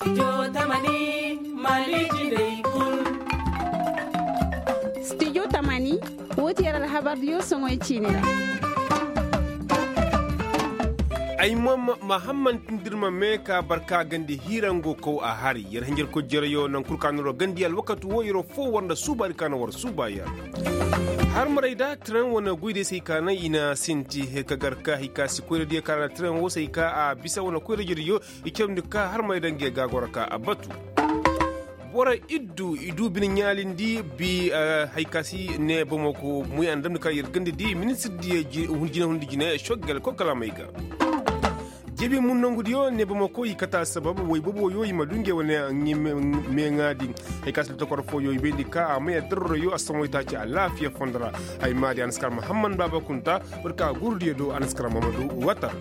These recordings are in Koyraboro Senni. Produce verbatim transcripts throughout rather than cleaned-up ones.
Studio tamani, woo ti yer alhabardiyo soŋoy ciini ra. Ay ma ma hamman tindirma me ka barka gandi hiirango kaw a hari yer hinjirkoy jereyo naŋ kul ka no ra gandi alwakatu woo yeroo foo war nda suubaari ka no war suuba yer. Harmaray da tiran wane goydey se hay ka naŋ i na sinti ka gar ka hay ka si koyradiyo ka ra tiran woo se hay ka a bisa wane koyradiyo i cawndi ka harmaray da ngey ga goro ka a batu. Boro iddu i du bine ɲaalindi bi. Hay ka si ne bamako muy a na damndi ka yer gandadi ministir diya jinahundi jine shoggel kokalamey ga. Jebi mun nongudiyo ne bamako i kata sabab way boboyo i ma du ngey wane meeŋaadi. Hay ka si lotokor fooyo i bayndi ka a maya darroyo a samoy taaci alaafiya fondo ra. Hay maadi a na si kar mahamman baaba kunta. Barka gurudiyo do a na si kar mamadu watar.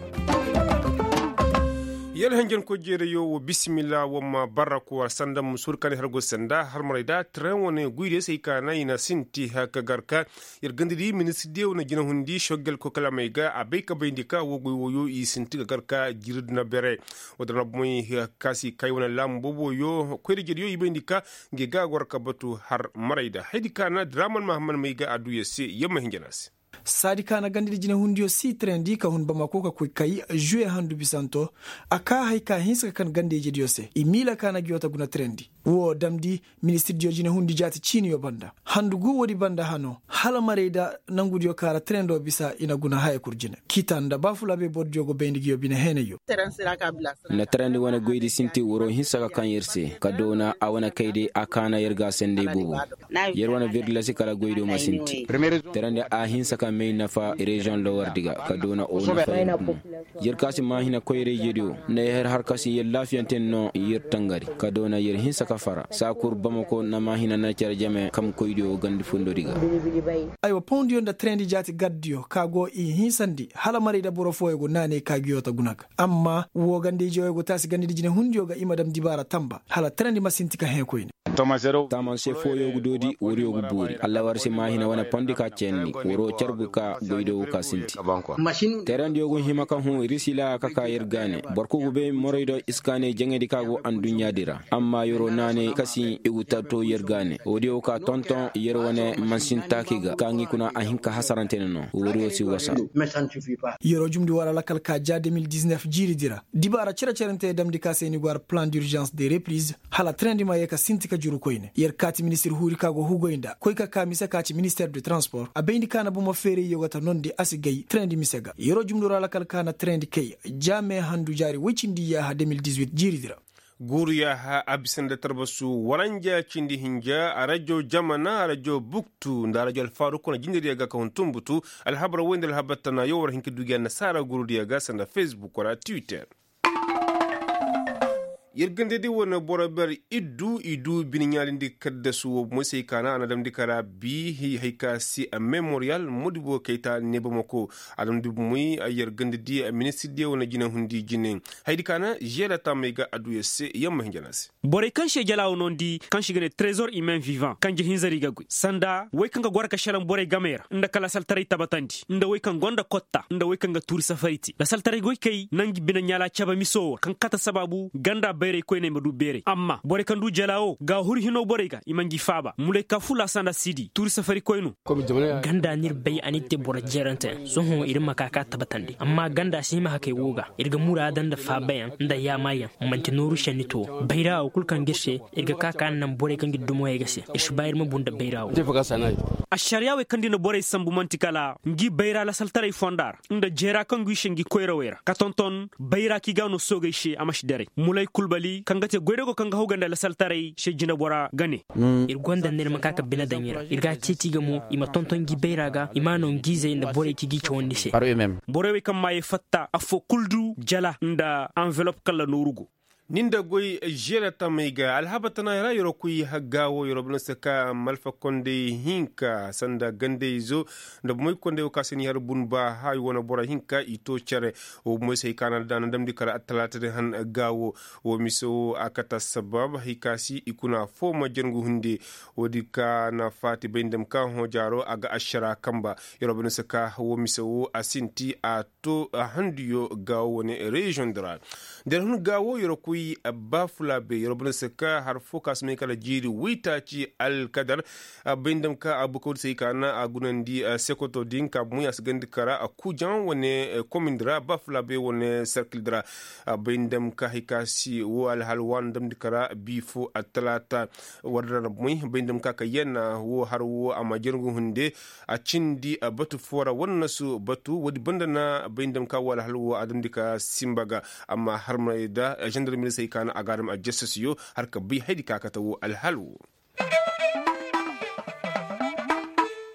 Yala henjenkoy jeereyo wo bisimilla wo ma barra kuwa sanda ma suuri kaŋ i har go sanda harmaray da tren wane guydiyo se i kaana i na sinti ka gar ka yer gandadi ministirdiyo wane jinahundi shoggel kokalamey ga a bay ka bayndi ka wo guy woyo i sinti ka gar ka jiridi na bere. Wo-din ra bomoy ka si kay wane laamu booboyo koyra-ijediyo i bayndi ka ngey ga a goro ka batu har marayda haydi kaana draman mahamman may ga a du yer se yer ma hinja no a se. Saadi ka na gandadi jinehundiyo si trendi ka hun bamako ka koy kay juwe handu bisanto. A kaa hay ka hinsa ka kan ganda-ijediyo se i miila ka na giyo ta guna trendi. Wo damndi ministirdiyo jinehundi jaati ciiniyo banda handu gu woodi banda hano hala marayda nangudiyo ka ra trendo bisa i na guna haya kul jine kita nda ba fula bay bordiyo go bayndi giyo bine heenayyo. Na tarandi wane goydi sinti waroo hinsa ka kaŋ yer se ka doona a wane kayday a kaana yer ga a sanday boobo. Yer wane birdilasi kala goydo ma sinti tarandi a hinsa ka may nafa reziyoŋ lowardi ga ka doona o nafa yer. Yer kaŋ a si maahina koyra-ijediyo nda yer har kaŋ si yer laafiyante no yer tangari ka doona yer hinsa ka fara saa kul bamako na maahina na care jame kam koydiyo gandi fondodi ga. Aywa pondiyo nda trendi jaati gardiyo ka go i hinsandi hala maray da boro fooyo go naanay ka giyo ta guna ga amma woo ganda-ije woo go taasi ganda dijine hundiyo ga i ma dam dibaara tamba hala trendi ma sinti ka hẽe koyne. Taamanse fooyo ga doodi wariyo ga boori alla war si maahina wane pondi ka ceenni waroo carbu ka goydo woo ka sinti. Teerandiyo ga hima ka hũ risila ka ka yer gaane boro kul ga bay moraydo iskaanay jaŋaydi ka go anduɲɲaadi ra amma yeroo naanay kasi i ga tarto yer gaane woodiyo ka tonton yer wane mansin taaki ga ka ngi kuna a hin ka hasarante ne no woodiyo si wasa. Yeroo jumndi war alakal ka ja de mil diznef jiiridi ra dibaara cere-cerante damndi ka se ni go ar plan d'urgence de repriz hala trendi ma yee ka sinti ka juru koyne yer kaati ministir huuri ka go hugoy nda koy ka ka mise ka ci minister de transport a bayndi ka na bomo feerayyo ga ta nondi a si gay trendi mise ga yeroo jumndi war alakal ka na trendi kay ja me handu jaari woy cindi yaaha de mil dizuit jiiridi ra. Guuru yaaha a bisa nda tarbasu waranja cindi hinja a rajo jamana a rajo buktu nda a rajo alfaaru kuna jindiriya ga ka hun tumbutu. Alhabar woy nda alhabar tana yo war hin ka dugi annasaara guurudiya ga sanda fesbuk wala twitter. Yer gandadi wane boro ber iddu i du bine ɲaalindi kaddasu wo moysey kaana a na damndi kara bi hay ka si memoriyal modibo kayta nebamako a damndi moy yer gandadi ministirdiyo wane jinahundi jine. Haydi kaana žela taamey ga a du yer se yer ma hinja no a se. Borey kaŋ se jala wo noondi kaŋ se i ga ne trezor humain vivant kanje hinzari ga goy sanda wey kaŋ ga goro ka šelaŋ borey gamey ra nda ka lasaltaray tabatandi nda wey kaŋ gonda kotta nda wey kaŋ ga tuuri safari te lasaltaray goykey na ngi bine ɲaala caba miso wo ra kaŋ kate sabaabu ganda bayray koyney ma du beeray amma borey kaŋ du jala wo gaahuru hino borey ga i ma ngi faaba mulay ka fula sanda sidi tuuri safari koynu. Ganda no ir bay a n'ir te boro jeerante sohõ ir ma ka ka tabatandi amma ganda si hima hakey wo ga ir ga muraada nda faabayaŋ nda yaamaayaŋ. Manti nooru šenni to bayra wo kul kaŋ ga ir se ir ga ka ka naŋ borey kaŋ ga ir dumo yay ga se ir si ba ir ma bu nda bayra wo. Ašariya wey kaŋ da i na borey sambu manti kala ngi bayra lasaltaray fonda ra nda jeera kaŋ go i se ngi koyrawey ra ka tonton bayra kaŋ i ga no soogey se a ma si daray mulay kulbali kaŋ ga te goydago kaŋ ga haw ga nda lasaltaray se jinebora ga ne. Ir gonda nda ir ma ka ka bine daŋ i ra ir ga a ceeti ga mo i ma tonton ngi bayra ga i ma a no ngi izey nda borey kaŋ i g'i cawandi se. Borey wey kaŋ maayey fatta affoo kul du jala nda anvelop kala nooru go. Ni nda goy žeela tamey ga alhaba tana ra yeroo koy hagga wo yeroo bine se ka malfa kondey hinka sanda gandey izo nda bomey kondey wo ka se ni har bunba hay wane boro hinka i to care. Wo bomey se hay ka na damndi kala attalaata din han ga wo wo mise wo a kate assabab hay ka si i kuna foo ma jarngu hunde. Woodi ka na faati bay nda ma ka hõ jaaro a ga ašara kanba. Yeroo bine se ka wo mise wo a sinti a to handuyo ga wo wane reziyoŋ di ra. Nda yer hun ga wo yeroo koy Bafulabe yer wo banda se ka har fo ka si may kala jiiri waytaaci alkadar. Bay nda ma ka abukaw di se i ka na a gunandi sekoto din ka bumoy a si gandi kara kujaŋ wane komindi ra bafulabe wane serkil di ra. Bay nda ma ka hari ka si wo alhal waani damndi kara bi fo attalaata. War da ra bumoy bay nda ma ka kayyanna wo har wo a ma jargu hunde. A cindi batu fo ra wannasu batu woodi banda na bay nda ma ka wo alhal wo a damndi ka simba ga. Amma harmarey da zandarmey se i ka na a ga a dam aljasasiyo har ka bay haydi ka kate wo alhal wo.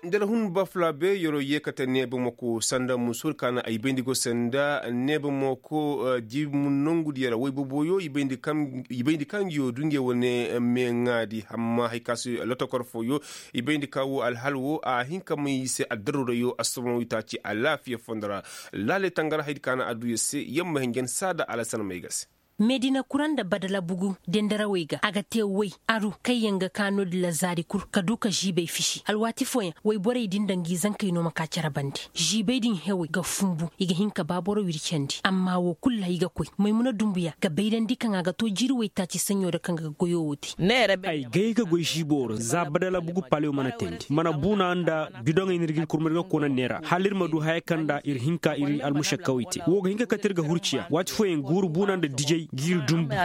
Nda ra hun bafulabe yeroo yee kate neebe moko sanda musu ka na ay bayndi go sanda neebe moko. Jibi nongudiyo ra woy boboyo i bayndi kaŋ ngi yoo du nge wane meeŋaadi amma hari ka si lotokor fooyo. I bayndi ka wo alhal wo a hin ka may i se addaruurayo assoboŋ waytaaci alaafiya fondo ra. Laaley tangara haydi ka na adduya se yamma hinjan saada alasan may ga se. Meedina kura nda badala bugu dendarawey ga a ga te woy aru kaŋyaŋ ga ka no-din ra zaari kul ka du ka žiibey fisi alwaati fooyaŋ woyborey din nda ngi zankey no ma ka cere bande. Žiibey din hewey ga funbu i ga hin ka ba boro wircandi amma wo kul ra i ga koy maymuna dumbuya ga bayrandi kaŋ a ga to jiiri waytaaci saɲɲo ra kaŋ ga goyo wo te. Ay gay ga goy žiibo ra za badala bugu palew mana teendi mana buuna nda bidoŋey no ir ga ir kurma ir ga koona neera hala ir ma du haya kaŋ nda ir hin ka ir almušakkawey te wo ga hin ka kate ir ga hurciya waati fooyaŋ guuru buuna nda dijey ga ir dumbu.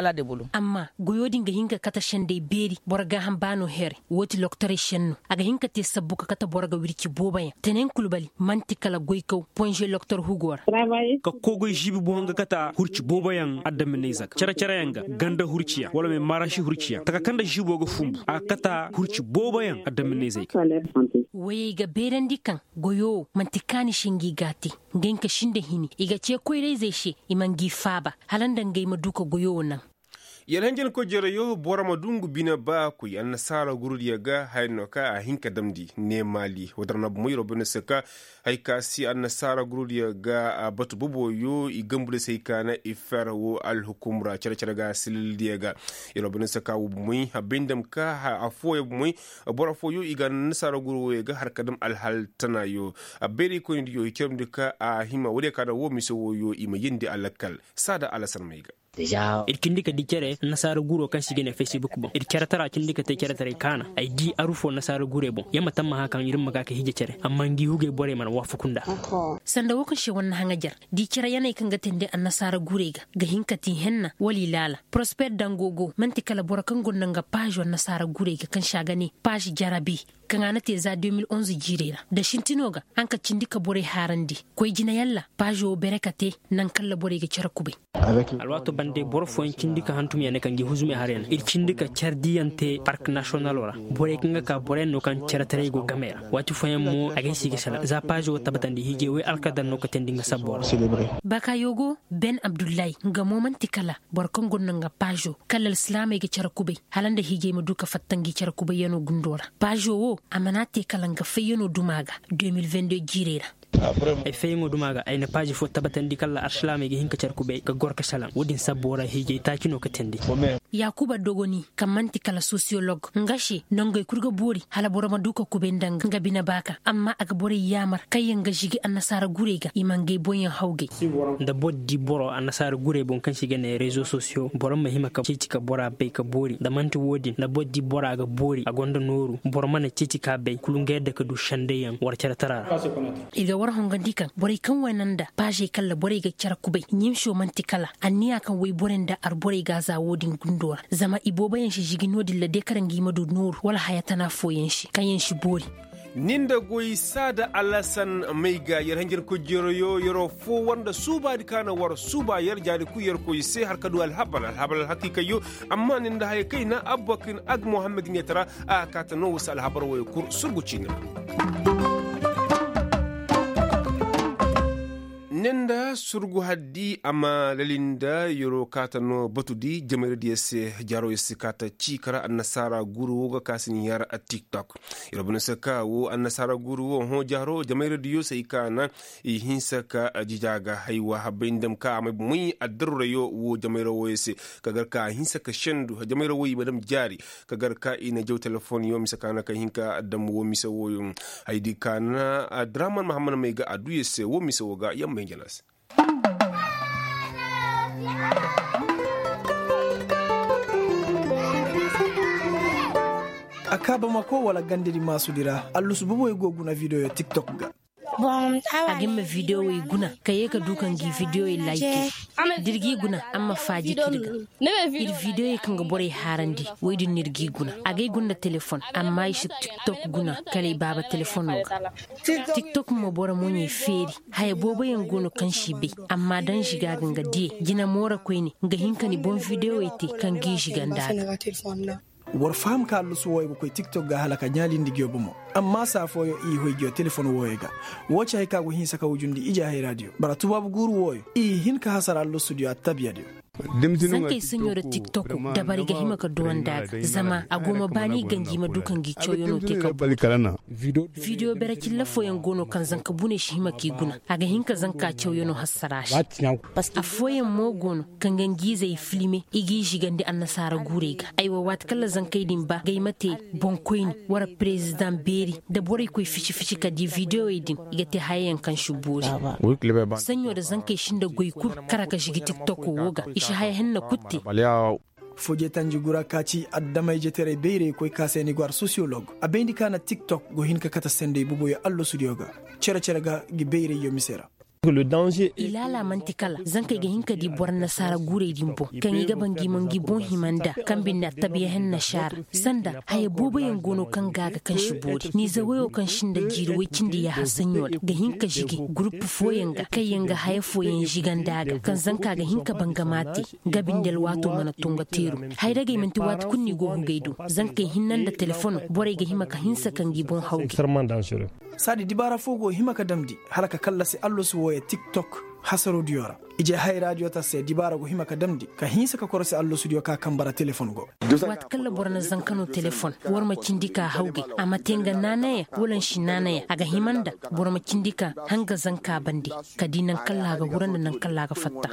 Amma goyo din ga hin ka kate sendey beeri boro gaaham baano here. Wo ti lokotorey senno a ga hin ka te sabbu ka kate boro ga wirci booboyaŋ tenen kulbali man'ti kala goykaw ponze lokotor hugo ra. Ka kogoy žiibi boŋ ga kate hurci booboyaŋ addaminayze ga cere-cereyaŋ ga ganda hurciyaŋ wala me maarasi hurciyaŋ taka kaŋ nda žiibo ga funbu a ga kate hurci booboyaŋ addaminayzey ga. Woyey ga beerandi kaŋ goyo wo man'ti kaani se ngi ga a te. Ngey nka sinda hini i ga ce koyrayzey se i ma ngi faaba hala nda ngey ma du ka goyo wo naŋ. Yer hanjankoy jereyo boro ma du ngu bine ba koy annasaara gurudiyo ga haya no ka a hin ka damndi ne maali woo dara na bomo yeroo banda se ka hari ka si annasaara gurudiyo ga batu boboyo i gambu nda se hari ka na i fer woo alhukum ra cere-cere ga silildiyo ga. Yeroo banda se ka woo bomey a bay nda ma ka affooyaŋ bomey boro affooyaŋ i ga annasaara guru wooyo ga har ka dam alhal tanaayo. Bayraykoynidiyo i carmndi ka a hima woodiyo ka na woo mise wooyo i ma yeendi a lakkal saada alasan may ga. Ir cindi ka di cere nasaara guro kaŋ se i ga ne facebook boŋ ir cere tara cindi ka te cere taray kaana ay di aru fo nasaara gurey boŋ ya ma tammaha kaŋ ir ma ga ka hiija cere amma ngi hugey borey mana waafaku nda. Sanda wo kaŋ se war na haŋajer di cere yaney kaŋ ga teendi annasaara gurey ga ga hin ka ti henna wala i laala prosper dango go man'ti kala boro kaŋ gonda nga paazo annasaara gurey ga kaŋ se a ga ne paazo jarabi kaŋ a na te za deux mille onze jiirey ra da sintino ga haŋ ka cindi ka borey haarandi koy jina yalla paazo wo bere ka te naŋ kaŋ ra borey ga cere kubay. Alwaato bande boro fooyaŋ cindi ka hantum ya ne kaŋ gi huzumey har ya ne ir cindi ka care diyaŋ te park nasiyonalo ra. Borey kaŋ ga ka boroyaŋ no kaŋ care taray go gamey ra waati fooyaŋ mo a ga ay se i ga sala za paazo wo tabbatandi hiijey woy alkadar no ka teendi nga sabbo ra. Baakayo go ben abdullahi nga mo man'ti kala boro kaŋ gonda nga paazo kala alsilaamey ga care kubay hala nda hiijey ma du ka fatta ngi care kubayyanoo gundoo ra. Paazo wo a mana te kala nga fayyanoo duma ga deux mille vingt deux jiirey ra. Ay fayyaŋoo duma ga ay na paazi fo tabbatandi kala alsilaamey ga hin ka care kubay ga gor ka salaŋ wo-din sabbo ra hiijey taaci no ka teendi. Yaakuba dogoni kaŋ man'ti kala sosiyolog nga se nongey kul ga boori hala boro ma du ka kubay nda nga bine baaka amma a ga borey yaamar kaŋyaŋ ga žigi annasaara gurey ga i ma ngey boŋyaŋ hawgay. Nda boro di boro annasaara gurey boŋ kaŋ se i ga ne rezo sosiyo boro ma hima ka ceeci ka bora bay ka boori nda man'ti wo-din nda boro di bora ga boori a gonda nooru boro mana ceeci ka bay kulu nga yadda ka du sendayyaŋ war care tara ra. I ga war hongandi kaŋ borey kaŋ wane nda paazey kaŋ ra borey ga care kubay ɲimso man'ti kala anniya kaŋ woy borey nda arborey ga a za wo-din gundo ra zama ibooboyaŋ si žigi no-din ra de kala ngi ma du nooru wala haya tana fooyaŋ se kaŋ yaŋ si boori. Ni nda goy saada alasan may ga yer hanjarkoy jeroyo yeroo foo war nda suubaadi ka na war suuba yer jaari kul yer koy se har ka du alhabar alhabar alhakiikayyo. Amma ni nda haya kayna abba kaŋ ag mohammed ɲeetara a ga kaata no wasa alhabar wooyo kul surgu ciini ra. Ni nda surgu haddi amma lali nda yeroo kaata no batudi jamayra diyo se jaaroo yer si kaata ciika ra annasaara guuru woo ga ka si ni yar tiktok. Yer bana se ka woo annasaara guuru woo hõ jaaroo jamayra diyo se i kaana i hinsa ka jijaa ga haywa habbay nda ma ka a may bomoy addaruurayo woo jamayra wooyo se. Ka gar ka a hinsa ka sendu jamayra wooyo i ma dam jaari ka gar ka i na jaw telefoŋ yo mise ka na ka hin ka dam woo mise wooyo. Haydi ka na draman mahammad may ga adduya se woo mise woo ga yamma hinja no a se. Kaabamako wala gandedi maasudi ra allusu boboyo go guna videoyo tiktok ga. A ga hin ma vidiyowey guna ka yee ka du ka ngi vidiyowey layke. Da ir g'i guna a ma faaji ka ir ga ir vidiyowey kaŋ ga borey haarandi. Wey din no ir g'i guna a g'ay guna nda telefon amma i si tiktok guna kala i baaba telefono ga. Tiktok mo boro moɲey feeri. Haya booboyaŋ go no kaŋ si bay. Amma da nziga ga nga diye jina moora koyne nga hin ka ni boŋ vidiyowey te kaŋ g'i ziga nd'a ga. War faham ka allusu wooyo ga koy tiktok ga hala ka ɲaalindi ngiyo bomo. Amma saa fooyo i hoy ngiyo telefon wooyo ga. Woo ci hay ka go hinsa ka wujundi ije hayra diyo bara tubaabu guuru wooyo i hin ka hasara allusu diyo attabiya diyo. Zankey saɲo nda tiktok dabari ga hima ka duwandi a ga zama a go ma baani ganji ma du ka ngi cawyanoo te ka boori. Vidiyo bere cilla fooyaŋ go no kaŋ zanka buney si hima k'i guna. A ga hin ka zanka cawyanoo hassara se. Affooyaŋ mo go no kaŋ ga ngi izey filme i g'i zigandi annasaara guurey ga. Aywa waati kaŋ ra zankey din ba ga ay ma te boŋkoyni wara perezidaŋ beeri nda borey koy fici fici ka di vidiyowey din i ga te hayayaŋ kaŋ si boori. Saɲo nda zankey si nda goy kul kara ka zigi tiktoko wo ga i si haya henna kul te. Fojetanji gura ka ci addamayjetaray bayraykoy ka se ni go ar sosiyolog a bayndi ka na tiktok go hin ka kate sendey boboyo allasudiyo ga. Cere-cere ga ngi bayrayyo mise ra. Ilaala man'ti kala zankey ga hin ka di boro nasaara guurey din boŋ kaŋ i ga ba ngi ma ngi boŋ hima nd'a kaŋ binde attabiya henna si a ra. Sanda haya booboyaŋ go no kaŋ ga a ga kaŋ si boori ni zawayo kaŋ si nda jiiri woy cindi yaaha saɲo ra ga hin ka zigi gurupu fooyaŋ ga kaŋ yaŋ ga haya fooyaŋ zigandi a ga kaŋ zanka ga hin ka bangama te. Nga binde alwaato mana to nga teeru. Hayragey man'ti waati kulu no i go hugey do. Zankey hinne nda telefono borey ga hima ka hinsa ka ngi boŋ hawgey. Saadi dibaara foo go hima ka damndi hala ka kallasi allosu wooyo tiktok. Hasarodiyo ra ije hayraadiyo ta se dibaara go hima ka damndi ka hinsa ka korosi allosudiyo ka kaŋ bara telefon go. Waati kaŋ ra boro na zanka no telefon war ma cindi ka hawgey. A ma te nga naanaya wala nsi naanaya a ga hima nda boro ma cindi ka hanga zanka bande. Ka di naŋ kaŋ ra a ga hura nda naŋ kaŋ ra a ga fatta.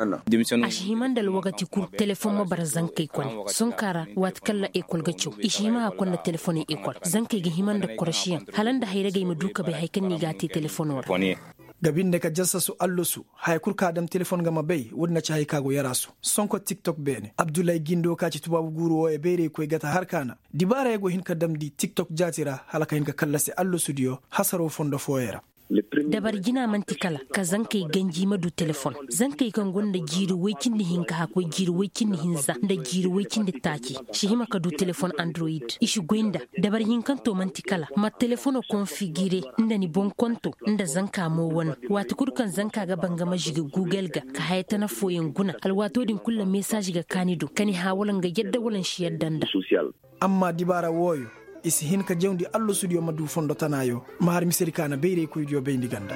A si hima nda alwagati kul telefon ma bara zankey kone. Sonka ra waati kaŋ ra ekol ga caw i si hima ka konda telefoney ekol zankey ga hima nda korosiyaŋ hala nda hayragey ma du ka bay haya kaŋ no i g'a te telefono ra. Ga binde ka jasasu allosu haya kul ka a dam telefon ga ma bay woodin na ci haya ka go yaraasu. Sonko tiktok beene abdullahi gindo ka ci tubaabu guuru wooyo bayraykoy gata har ka na dibaarayo go hin ka damndi tiktok jaati ra hala ka hin ka kallasi allosudiyo hasaro fondo fooyo ra. Dabari jina man'ti kala ka zankey ganji ma du telefon. Zankey kaŋ gonda jiiri woy cindi hinka hakkoy jiiri woy cindi hinza nda jiiri woy cindi taaci si hima ka du telefon androyid i si goy nda. Dabari hinkanto man'ti kala ma telefono konfigire nda ni boŋ konto nda zanka mo wane. Waati kul kaŋ zanka ga bangama zigi gugel ga ka haya tana fooyaŋ guna alwaatoo din kul ra mesaaz ga ka ni do ka ni hã wala nga yadda wala nsi yadda nda. Amma dibaara wooyo i si hin ka jawndi allosudiyo ma du fondo tanaayo. Ma har misedi ka na bayraykoydiyo bayndi ganda.